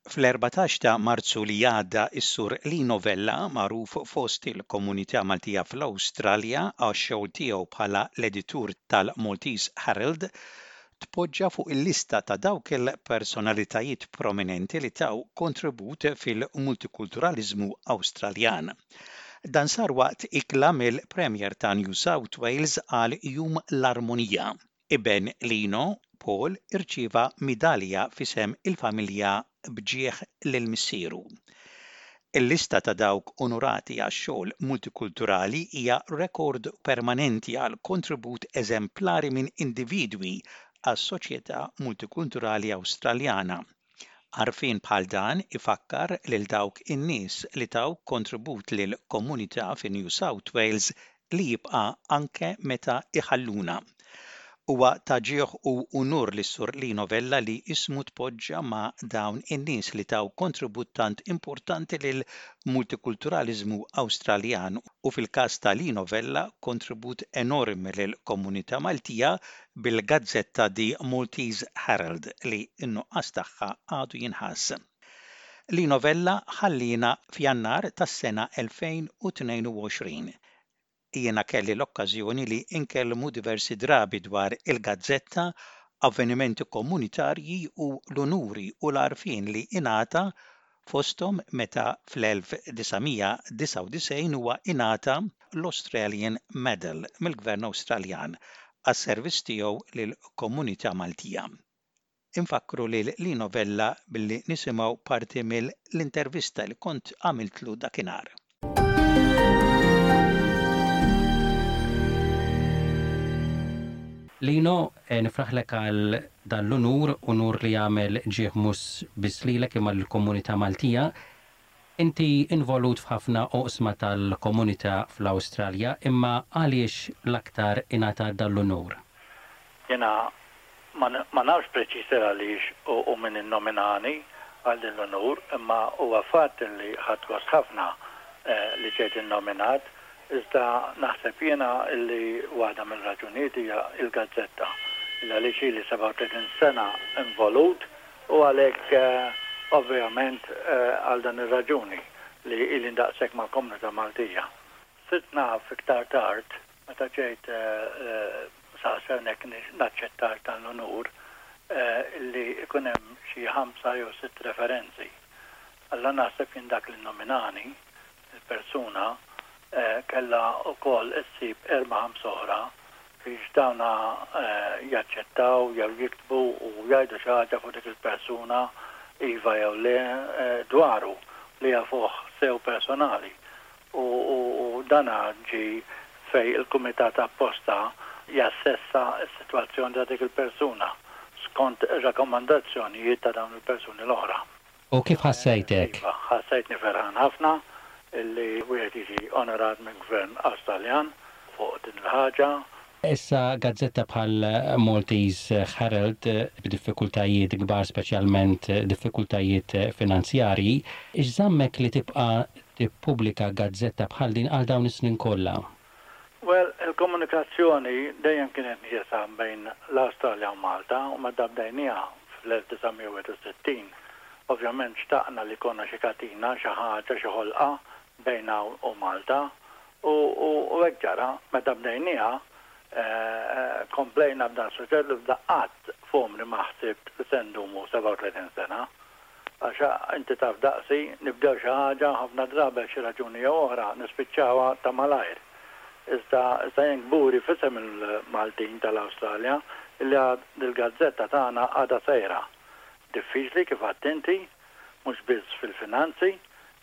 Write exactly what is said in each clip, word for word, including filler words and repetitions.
Fl-erbatax ta' Marzu li għadda is-Sur Lino Vella, magħruf fost il-komunità Maltija fl-Awstralja għax-xogħol tiegħu bħala l-editur tal-Maltese Herald, tpoġġa fuq il-lista ta' dawk il-personalitajiet prominenti li taw kontribut fil-multikulturaliżmu Awstraljan. Dan sar waqt ikla mill-Premier ta' New South Wales għal Jum l-Armonija. Iben Lino, Paul, irċieva midalja f'isem il-familja b'ġieħ lil missieru. Il-lista ta' dawk onorati għax-xogħol multikulturali hija rekord permanenti għal kontribut eżemplari minn individwi għas-soċjetà multikulturali Awstraljana. Għarfien bħal dan ifakkar lil dawk in-nies li taw kontribut lil komunità fi New South Wales li jibqa' anke meta iħalluna. Huwa ta' ġieħ u unur lis-Sur Lino Vella li ismu tpoġġa ma' dawn in-nies li taw kontribut tant importanti lil multikulturaliżmu Awstraljan u fil-każ ta' Lino Vella kontribut enormi lil komunità Maltija bil-gazzetta The Maltese Herald li n-nuqqas tagħha għadu jinħass. Lino Vella ħallina f'Jannar tas-sena elfejn u tnejn u għoxrin. Jiena kelli l-okkażjoni li nkellmu diversi drabi dwar il-gazzetta, avvenimenti komunitarji u l-unuri u l-għarfien li ingħata fosthom meta fl-elf disa' mija disgħa u disgħin huwa ingħata l-Australian Medal mill-Gvern Awstraljan għas-servizz tiegħu lill-komunità Maltija. Infakkru lil Lino Vella billi nisimgħu parti mill-intervista li kont għamiltlu dakinhar. Lino, eh, nifraħlek għal dan l-unur, unur li jagħmel ġieħ mhux biss lilek imma lill-komunità Maltija. Inti involut f'ħafna oqsma tal-komunità fl-Awstralja, imma għaliex l-aktar ingħata dan l-unur? Jiena ma n-, ma nafx preċiż għaliex u, u min innominani għal din l-unur, imma huwa fatt li ħadt gost ħafna, eh, li ġejt innominat, iżda naħseb jiena li waħda mill-raġunijiet hija il-gazzetta. Illa għaliex ili sebgħa u tletin sena involut u għalhekk, eh, ovvjament, eh, għal dan ir-raġuni li ili ndaqshekk mal-komunità Maltija. Sirt naf iktar tard, meta ġejt, eh, eh, saqsewnek naċċettar dan l-unur, eh, li ikun hemm xi ħamsa jew sitt referenzi. Alla naħseb jien dak li nominani, il-persuna, eh, kellha wkoll issib erba' ħamsa oħra biex dawna, eh, jaċċettaw jew jiktbu u jgħidu xi ħaġa fuq dik il-persuna iva jew le, eh, dwaru li jafuh sew personali. U, u, u dana ġi fej il-kumitat apposta jassessa s-sitwazzjoni ta' dik il-persuna skont ir-rakkomandazzjonijiet ta' dawn il-persuni l-oħra. U kif ħassejtek? Iva, ħassejtni ferħan ħafna illi wieħed jiġi onorat minn gvern Awstraljan fuq din il-ħaġa. Issa gazzetta bħal Maltese Herald b'diffikultajiet kbar, speċjalment diffikultajiet finanzjarji, x'żammek li tibqa' tippubblika gazzetta bħal din għal dawn is-snin kollha? Well, il-komunikazzjoni dejjem kienet nieqsa bejn l-Awstralja u Malta u meta bdejniha fl-elf disa' mija wieħed u sittin, ovvjament xtaqna li konna xi katina, xi ħaġa, xi ħolqa bejna u Malta u, u, u hekk ġara, meta bdejniha, eh, komplejna b'dan suġġett li bda qatt f'għomri ma ħsibt li se ndumu sebgħa u tletin sena. Għax inti taf daqsi, nibdew xi ħaġa ħafna drabi xi raġuni jew oħra nispiċċawha ta' malajr. Iżda, iżda jien kburi f'isem il-Maltin tal-Awstralja li għad il-gazzetta tagħna għadha sejra. Diffiċli kif għedt inti, mhux biss fil-finanzi,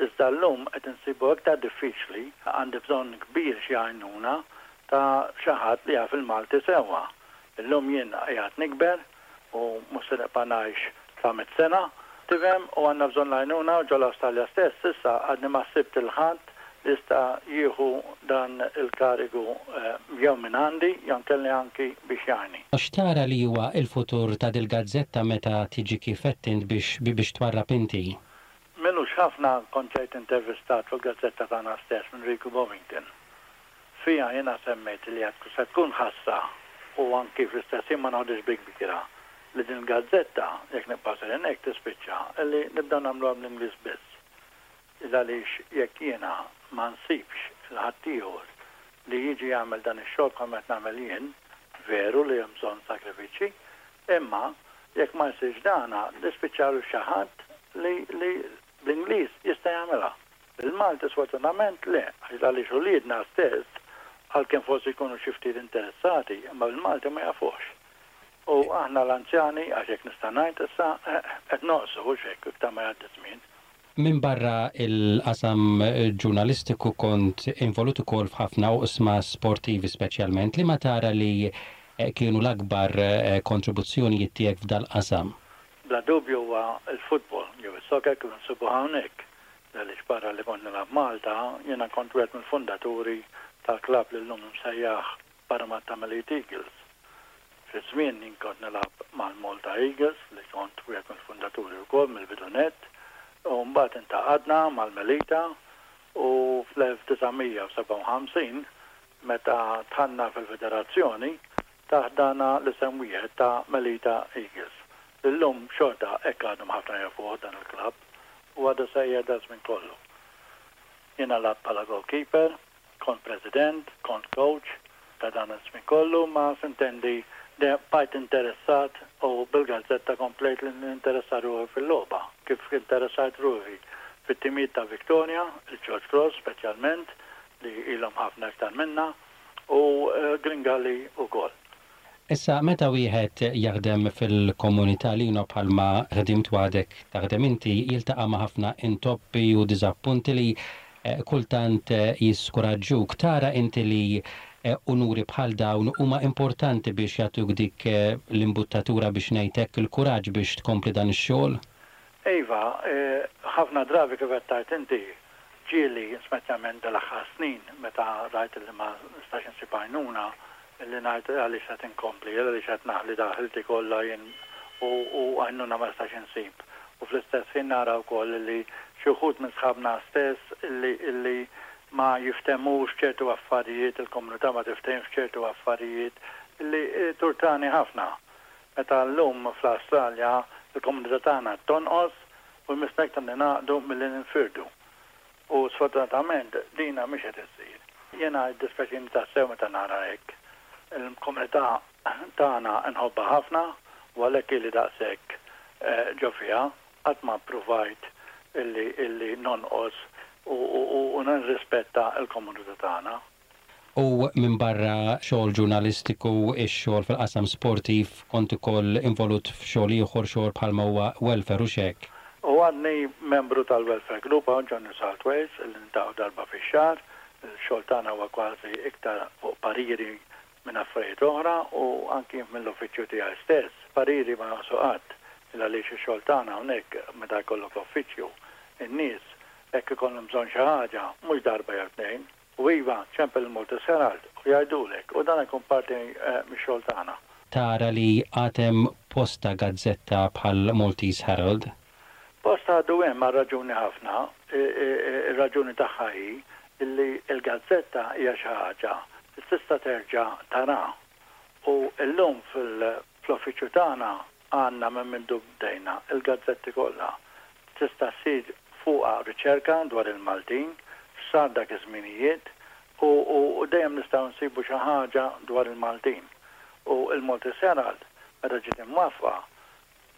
iżda llum qed insibu iktar diffiċli, għandi bżonn kbir xi għajnuna ta' xi ħadd li jaf il-Malti sewwa. Illum jien qiegħed nikber u mhux se nibqa' ngħix sa mitt sena, tifhem, u għandna bżonn l-għajnuna u ġol-Awstralja stess issa għadni ma sibt il-ħadd li jista' jieħu dan il-karigu, eh, jew minn għandi jew kelli anki biex jgħinni. X'tara li huwa l-futur ta' dil-gazzetta meta tiġi kif qed int biex, biex twarrab inti? M'ilux ħafna kont ġejt intervistat fil-gazzetta tagħna stess minn Riku Bovington. Fija jiena semmejt li għad se tkun ħassa u anki fl-istess ħin ma noħodix bi kbira li din il-gazzetta, jekk nibqa' sejrin hekk, tispiċċa li nibdew nagħmluha bl-Ingliż biss. Għaliex jekk jiena ma nsibx 'il ħaddieħor li jiġi jagħmel dan ix-xogħol bħalma qed nagħmel jien, veru li hemm bżonn sakrifiċċji, imma jekk ma jsirx dana, nispiċċaw xi ħadd li, li bl-Ingliż jista' jagħmilha. Il-Malti sfortunatament le, għaliex uliedna stess, għalkemm forsi jkunu xi ftit interessati, imma bil-Malti ma jafux. U aħna l-anzjani, għax hekk nista' ngħid issa, qed noqsu hux hekk iktar ma jgħaddi żmien. Min barra il-qasam ġurnalistiku kont involut ukoll f'ħafna oqsma sportivi, speċjalment li ma tara li kienu l-akbar kontribuzzjonijiet tiegħek f'dal-qasam. Bla dubju huwa l-futbol, jew is-soccer kif insibu hawnhekk. Għaliex barra li kont nilgħab Malta, jiena kont wieħed mill-fundaturi tal-klabb li llum msejjaħ Parramatta Melita Eagles. Fi żmien jien kont nilgħab mal-Malta Eagles, li kont wieħed mill-fundaturi wkoll mill-bidu nett, u mbagħad ingħaqadna mal-Melita u fl-elf disa' mija u sebgħa u ħamsin meta dħalna fil-federazzjoni taħt dana l-isem wieħed ta' Melita Eagles. Illum xorta hekk għadhom ħafna jafuh dan il-klabb u għadu sejjer da żmien kollu. Jiena lgħabt bħala goalkeeper, kont president, kont coach ta' dan iż-żmien kollu, ma s'intendi bqajt interessat u bil-gazzetta komplejt li ninteressa ruħi fil-logħba. Kif interessajt ruħi fit-timijiet ta' Victoria, il-George Cross speċjalment, li ilhom ħafna iktar minna, u Gringali ukoll. Issa, meta wieħed jaħdem fil-komunità, Lino, bħalma ħdimt għadek taħdem inti, jiltaqa' ma' ħafna intoppi u diżappunti li kultant jiskuraġġuk. Tara inti li unuri bħal dawn huma importanti biex jagħtuk dik l-imbuttatura, biex ngħidlek, il-kuraġġ biex tkompli dan ix-xogħol? Iva, ħafna drabi, kif qed inti, ġieli, speċjalment dal-aħħar snin, meta rajt li ma nistax insib għajnuna, li ngħid għaliex qed inkompli, għaliex qed naħli da ħilti kollha jien u għajnuna ma nistax insib. U fl-istess ħin nara wkoll li xi wħud minn sħabna stess illi illi ma jiftehmux ċertu affarijiet, il-komunità ma tiftehmx ċertu affarijiet li turtani ħafna. Meta llum fl-Awstralja il-komunità tagħna tonqos u jmissna iktar ningħaqdu milli ninfirdu. U sfortunatament dina mhix qed issir. Jiena jiddispjaċini tassew meta nara hekk. Il-komunità tagħna nħobbha ħafna u għalhekk ili daqshekk ġo fiha, qatt ma ppruvajt illi illi nonqos u nirrispetta l-komunità tagħna. U minn barra xogħol ġurnalistiku, ix-xogħol fil-qasam sportiv, kont ukoll involut f'xogħol ieħor, xogħol bħalma huwa welfare u hekk. U għadni membru tal-Welfare Group hawn ġo New South Wales, li niltaqgħu darba fix-xahar. Il-xogħol tagħna huwa kważi iktar fuq pariri minn affarijiet oħra u anki mill-uffiċċju tiegħi stess. Pariri ma jonqsu qatt, għaliex ix-xogħol tagħna hawnhekk, meta jkollok uffiċċju, in-nies hekk ikollhom bżonn xi ħaġa, mhux darba jew tnejn. U iva, ċempel il-Maltese Herald u jgħidulek, u dan ikun parti mix-xogħol tagħna. Tara li għad hemm posta gazzetta bħal Maltese Herald? Posta għadu hemm għal raġuni ħafna, ir-raġuni tagħha hi illi il-gazzetta hija xi ħaġa li tista' terġa' tara. U llum fl-uffiċċju tagħna għandna minn mindu bdejna il-gazzetti kollha. Tista' ssir fuqha riċerka dwar il-Maltin, x'sar dak iż-żminijiet u, u dejjem nistgħu nsibu xi ħaġa dwar il-Maltin. U il-Maltese Herald, meta ġiet imwaqqfa,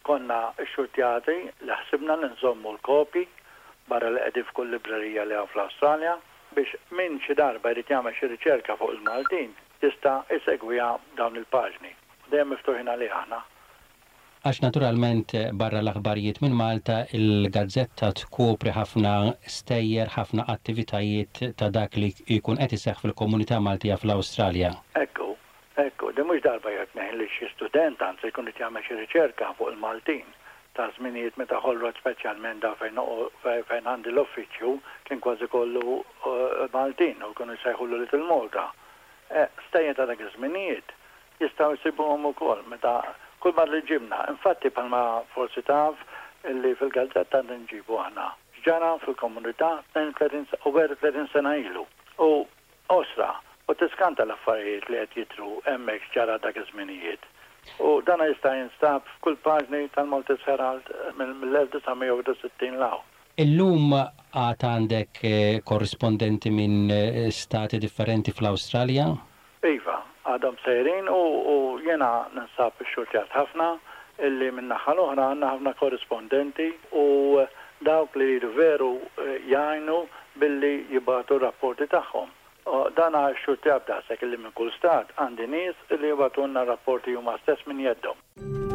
konna xxurtjati li ħsibna li nżommu l-kopji barra li qegħdin f'kull librerija li hawn fl-Awstralja, biex min xi darba jrid jagħmel xi riċerka fuq il-Maltin jista' jsegwiha dawn il-paġni. Dejjem miftuħin għalih aħna. Għax naturalment barra l-aħbarijiet minn Malta, il-gazzetta tkopri ħafna stejjer, ħafna attivitajiet ta' dak li jkun qed iseħħ fil-komunità Maltija fl-Awstralja. Ekku, ekku, di mhux darba jew tnejn li xi student anzi jkun qed jagħmel xi riċerka fuq il-Maltin ta' żminijiet meta Hall Road, speċjalment da fejn fejn għandi l-uffiċċju, kien kważi kollu Maltin u kienu jsejħulu Little Malta. Stejjer ta' dak iż-żminijiet jistgħu jsibuhom ukoll meta kull ma li ġibna. Infatti, bħalma forsi taf, illi fil-gazzetta nġibu aħna ġara fil-komunità tnejn u tletin u tletin sena ilu. U osra, u tiskanta l-affarijiet li qed jidhru hemmhekk ġara dak iż-żminijiet. U dana jista' jinstab f'kull paġni tal-Maltese Herald mill-elf disa' mija u sittin 'l hawn. Illum għad għandek eh, korrispondenti minn eh, stati differenti fl-Awstralja? Iva, għadhom sejrin u, u jena ninsab xxurtjat ħafna illi min-naħa l-oħra għandna ħafna korrispondenti u dawk li jridu veru eh, jgħinu billi jibagħtu rapporti tagħhom. Dan xxurtjat daqshekk illi minn kull stat għandi nies illi jibagħtulna rapporti huma stess minn jeddhom.